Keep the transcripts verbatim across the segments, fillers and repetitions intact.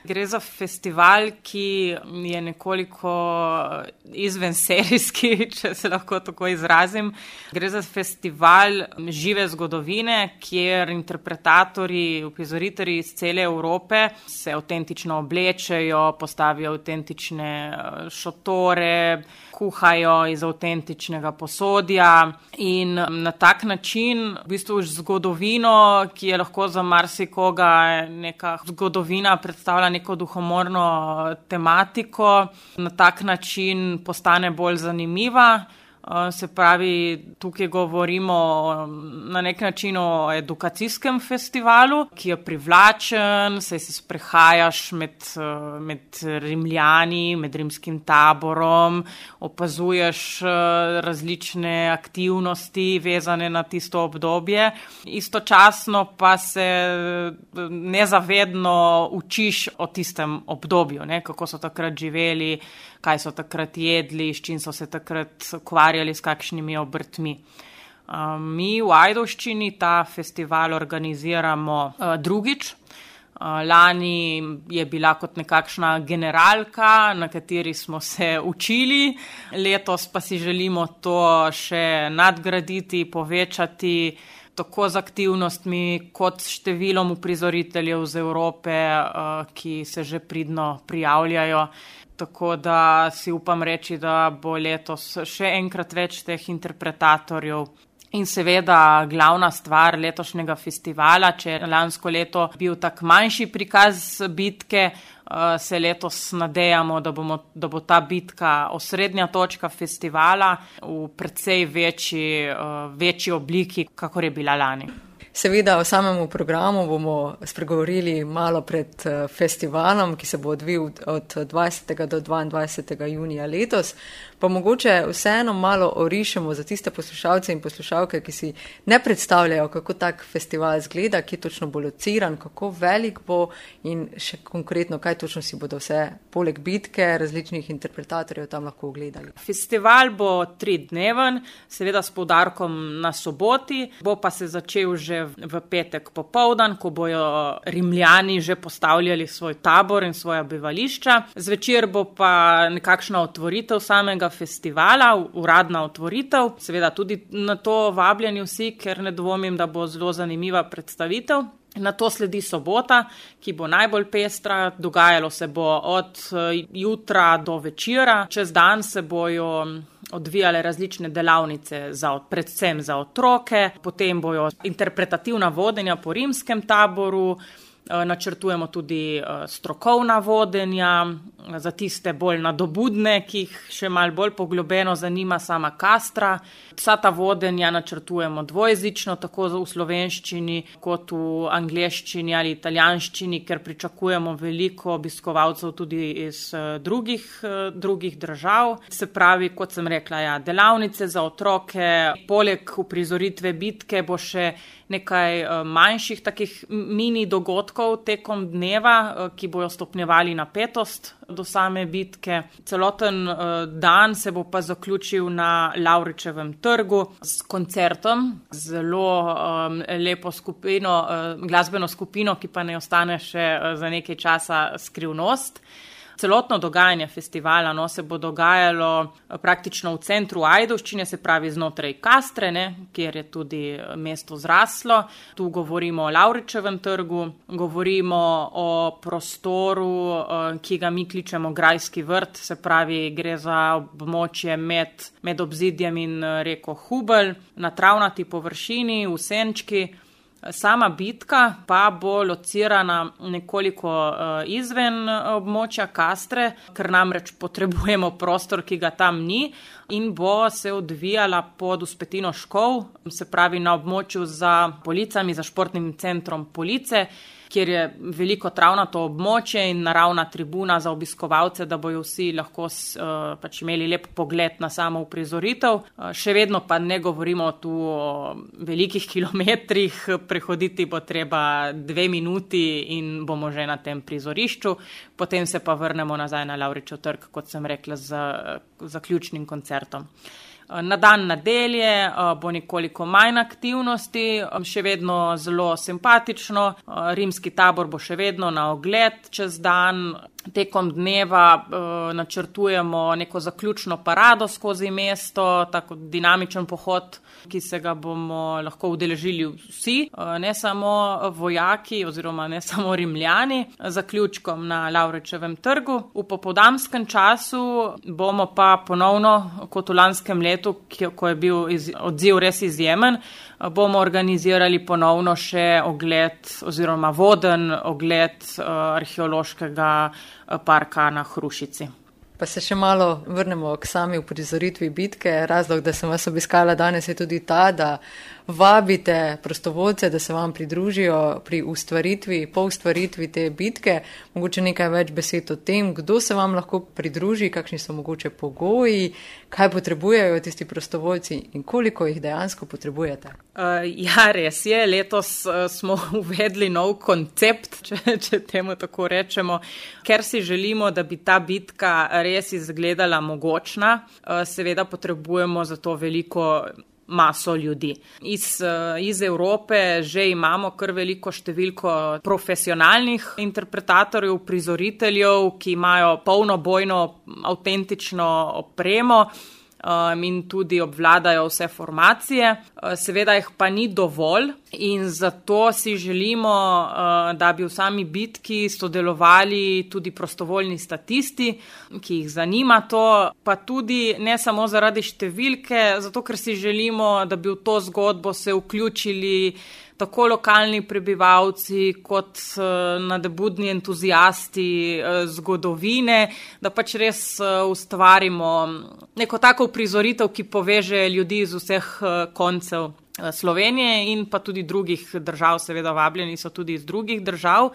Gre za festival, ki je nekoliko izvenserijski, če se lahko tako izrazim. Gre za festival žive zgodovine, kjer interpretatorji, uprizoritelji iz cele Evrope se avtentično oblečejo, postavijo avtentične šotore, kuhajo iz avtentičnega posodja in na tak način v bistvu zgodovino, ki je lahko za marsikoga neka zgodovina, predstavlja neko duhomorno tematiko, na tak način postane bolj zanimiva. Se pravi, tukaj govorimo na nek način o edukacijskem festivalu, ki je privlačen, saj se sprehajaš med, med Rimljani, med rimskim taborom, opazuješ različne aktivnosti vezane na tisto obdobje. Istočasno pa se nezavedno učiš o tistem obdobju, ne, kako so takrat živeli, kaj so takrat jedli, s čim so se takrat ukvarjali, s kakšnimi obrtmi. Mi v Ajdovščini ta festival organiziramo drugič. Lani je bila kot nekakšna generalka, na kateri smo se učili. Letos pa si želimo to še nadgraditi, povečati, tako z aktivnostmi kot s številom uprizoriteljev z Evrope, ki se že pridno prijavljajo. Tako da si upam reči, da bo letos še enkrat več teh interpretatorjev. In seveda glavna stvar letošnjega festivala, če je lansko leto bil tak manjši prikaz bitke, se letos nadejamo, da, bomo, da bo ta bitka osrednja točka festivala v precej večji, večji obliki, kakor je bila lani. Seveda o samem programu bomo spregovorili malo pred festivalom, ki se bo odvil od dvajsetega do dvaindvajsetega junija letos. Pa mogoče vseeno malo orišemo za tiste poslušalce in poslušalke, ki si ne predstavljajo, kako tak festival zgleda, ki je točno bo lociran, kako velik bo in še konkretno, kaj točno si bodo vse poleg bitke različnih interpretatorjev tam lahko ogledali. Festival bo tridneven, seveda s poudarkom na soboti, bo pa se začel že v petek popoldan, ko bojo Rimljani že postavljali svoj tabor in svoja bivališča. Zvečer bo pa nekakšna otvoritev samega festivala, uradna otvoritev. Seveda tudi na to vabljeni vsi, ker ne dvomim, da bo zelo zanimiva predstavitev. Na to sledi sobota, ki bo najbolj pestra, dogajalo se bo od jutra do večera. Čez dan se bojo odvijale različne delavnice, za, predvsem za otroke, potem bojo interpretativna vodenja po rimskem taboru, načrtujemo tudi strokovna vodenja za tiste bolj nadobudne, ki jih še malo bolj poglobeno zanima sama Kastra. Vsa ta vodenja načrtujemo dvojezično, tako v slovenščini kot v angleščini ali italijanščini, ker pričakujemo veliko obiskovalcev tudi iz drugih, drugih držav. Se pravi, kot sem rekla, ja, delavnice za otroke, poleg uprizoritve bitke bo še nekaj manjših takih mini dogodkov tekom dneva, ki bojo stopnjevali napetost do same bitke. Celoten dan se bo pa zaključil na Lavričevem trgu s koncertom, zelo um, lepo skupino, uh, glasbeno skupino, ki pa ne ostane še uh, za nekaj časa skrivnost. Celotno dogajanje festivala no, se bo dogajalo praktično v centru Ajdovščine, se pravi znotraj Kastre, ne, kjer je tudi mesto zraslo. Tu govorimo o Lavričevem trgu, govorimo o prostoru, ki ga mi kličemo Grajski vrt, se pravi gre za območje med, med obzidjem in reko Hubelj, na travnati površini, v senčki. Sama bitka pa bo locirana nekoliko izven območja Kastre, ker namreč potrebujemo prostor, ki ga tam ni, in bo se odvijala pod Vzpetino Škov, se pravi na območju za Policami, za športnim centrom Police, kjer je veliko travnato območje in naravna tribuna za obiskovalce, da bojo vsi lahko uh, pač imeli lep pogled na samo uprizoritev. Uh, še vedno pa ne govorimo tu o velikih kilometrih, prehoditi bo treba dve minuti in bomo že na tem prizorišču, potem se pa vrnemo nazaj na Lavričev trg, kot sem rekla, z zaključnim koncertom. Na dan nedelje bo nekoliko manj aktivnosti, še vedno zelo simpatično. Rimski tabor bo še vedno na ogled čez dan. Tekom dneva eh, načrtujemo neko zaključno parado skozi mesto, tako dinamičen pohod, ki se ga bomo lahko udeležili vsi, eh, ne samo vojaki oziroma ne samo Rimljani, zaključkom na Lavričevem trgu. V popoldanskem času bomo pa ponovno, kot v lanskem letu, ko je bil iz, odziv res izjemen, bomo organizirali ponovno še ogled oziroma voden ogled uh, arheološkega parka na Hrušici. Pa se še malo vrnemo k sami uprizoritvi bitke. Razlog, da sem vas obiskala danes, je tudi ta, da vabite prostovoljce, da se vam pridružijo pri ustvaritvi, po ustvaritvi te bitke. Mogoče nekaj več besed o tem, kdo se vam lahko pridruži, kakšni so mogoče pogoji, kaj potrebujejo tisti prostovoljci in koliko jih dejansko potrebujete. Uh, ja, res je. Letos uh, smo uvedli nov koncept, če, če temu tako rečemo, ker si želimo, da bi ta bitka res izgledala mogočna. Uh, seveda potrebujemo za to veliko maso ljudi. Iz, iz Evrope že imamo kar veliko številko profesionalnih interpretatorjev, prizoriteljev, ki imajo polnobojno, avtentično opremo um, in tudi obvladajo vse formacije. Seveda jih pa ni dovolj in zato si želimo, uh, da bi v sami bitki sodelovali tudi prostovoljni statisti, ki jih zanima to, pa tudi ne samo zaradi številke, zato ker si želimo, da bi v to zgodbo se vključili tako lokalni prebivalci kot uh, nadebudni entuzijasti uh, zgodovine, da pač res uh, ustvarimo neko tako prizoritev, ki poveže ljudi iz vseh uh, koncev Slovenije in pa tudi drugih držav, seveda vabljeni so tudi iz drugih držav.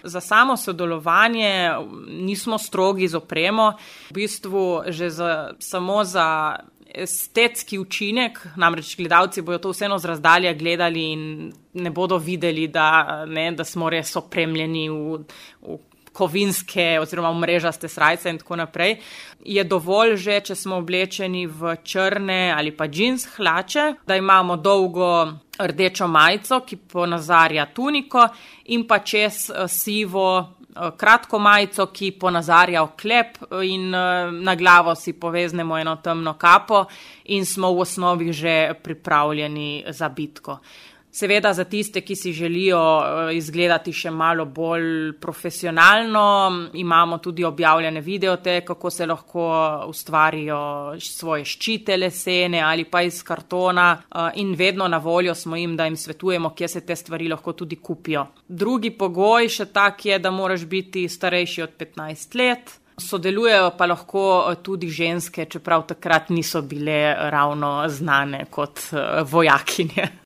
Za samo sodelovanje nismo strogi z opremo, v bistvu že za, samo za estetski učinek, namreč gledalci bojo to vseeno z razdalja gledali in ne bodo videli, da, ne, da smo res opremljeni v, v kovinske oziroma v mrežaste srajce in tako naprej. Je dovolj že, če smo oblečeni v črne ali pa džins hlače, da imamo dolgo rdečo majico, ki ponazarja tuniko in pa čez sivo kratko majico, ki ponazarja oklep in na glavo si poveznemo eno temno kapo in smo v osnovi že pripravljeni za bitko. Seveda za tiste, ki si želijo izgledati še malo bolj profesionalno, imamo tudi objavljene videote, kako se lahko ustvarijo svoje ščite lesene ali pa iz kartona in vedno na voljo smo jim, da jim svetujemo, kje se te stvari lahko tudi kupijo. Drugi pogoj še tak je, da moraš biti starejši od petnajst let. Sodelujejo pa lahko tudi ženske, čeprav takrat niso bile ravno znane kot vojakinje.